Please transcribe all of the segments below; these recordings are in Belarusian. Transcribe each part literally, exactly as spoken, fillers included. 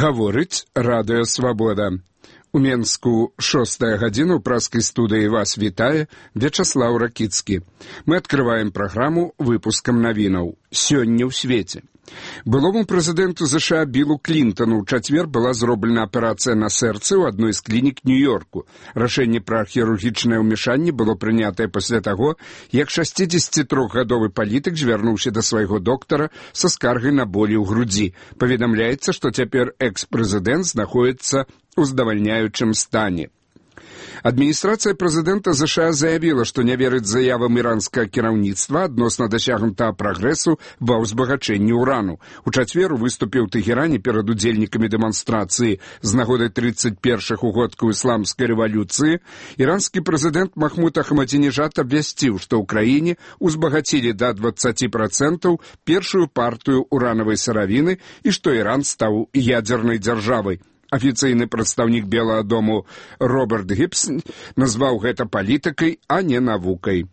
Гаворыць Радыё Свабода. У Менску шостая гадзіна, ў праскай студыі вас вітае Вячаслаў Ракіцкі. Мы адкрываем праграму выпускам навінаў. Сёння ў свеце. Былому прэзідэнту ЗША Биллу Клінтону ў чацвер была зроблена аперацыя на сэрцы ў адной з клінік Нью-Йорку. Рашэнне пра хірургічнае ўмешанне было прынятае пасля таго, як шасцідзесяцітрохгадовы палітык звярнуўся да свайго доктара са скаргай на болі ў грудзі. Паведамляецца, што цяпер экс-прэзідэнт знаходзіцца ў здавальняючым стане. Адміністрацыя прэзідэнта ЗША заявіла, што не верыць заявам іранскага кіраўніцтва адносна дасягнутага прагрэсу ва ўзбагачэнні ўрану. У чацвер выступіў у Тэхеране перад удзельнікамі дэманстрацыі з нагоды трыццаць першых угодкаў ісламскай рэвалюцыі. Іранскі прэзідэнт Махмуд Ахмадзінежад абвясціў, што ў краіне ўзбагацілі да дваццаць працэнтаў першую партыю уранавай сыравіны і што Іран стаў ядзернай дзяржавай. Афіцыйны прадстаўнік Белага дому Роберт Гібс назваў гэта палітыкай, а не навукай.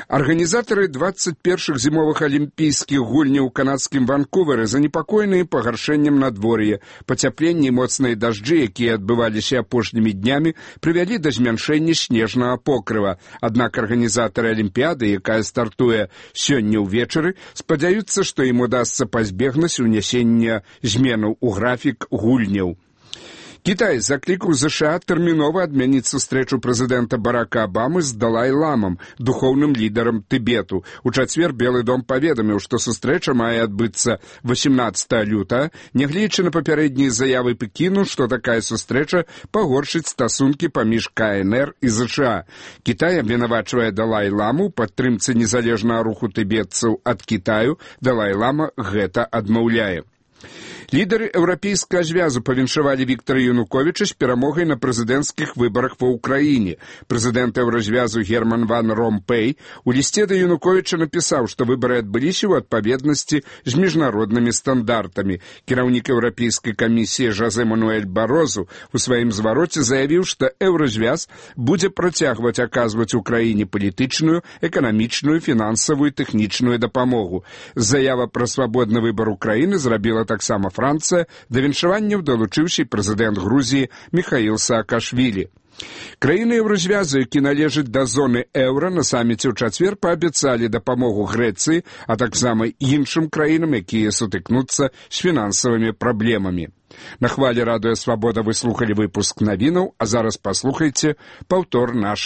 Арганізатары дваццаць першых зімовых алімпійскіх гульняў у канадскім Ванкуверы занепакоеныя пагаршэннем надвор'я. Пацяпленне і моцныя дажджы, якія адбываліся апошнімі днямі, прывялі да змяншэння снежнага покрыва. Аднак арганізатары алімпіяды, якая стартуе сёння ўвечары, спадзяюцца, што ім удасца пазбегнуць унясення зменаў у графік гульняў. Кітай заклікаў ЗША тэрмінова адмяніць сустрэчу прэзідэнта Барака Абамы з Далай-ламам, духоўным лідарам Тыбету. У чацвер Белы дом паведаміў, што сустрэча мае адбыцца васемнаццатага лютага, нягледзячы на папярэднія заявы Пекіну, што такая сустрэча пагоршыць стасункі паміж КНР і ЗША. Кітай абвінавачвае Далай-ламу ў падтрымцы незалежнага руху тыбетцаў ад Кітаю. Далай-лама гэта адмаўляе. Лідары еўрапейскага звязу павіншавалі Віктара Януковіча з перамогай на прэзідэнцкіх выбарах ва ўкраіне. Прэзідэнт еўразвязу Герман ван Ромпэй у лісце да Януковіча напісаў, што выбары адбыліся ў адпаведнасці з міжнароднымі стандартамі. Кіраўнік еўрапейскай камісіі Жозе Мануэль Барозу у сваім звароце заявіў, што еўразвяз будзе працягваць аказваць Украіне палітычную, эканамічную, фінансавую і тэхнічную дапамогу. Заява пра свабодны выбар Украіны зрабіла таксама Францыя, да віншаванняў далучыўся прэзідэнт Грузіі Міхаіл Саакашвілі. Краіны еўразвязу, які належаць да зоны еўра, на саміце ў чацвер паабяцалі дапамогу Грэцыі, а таксама іншым краінам, якія сутыкнуцца з фінансавымі праблемамі. На хвалі Радыё Свабода вы слухалі выпуск навінаў, а зараз паслухайце паўтор нашай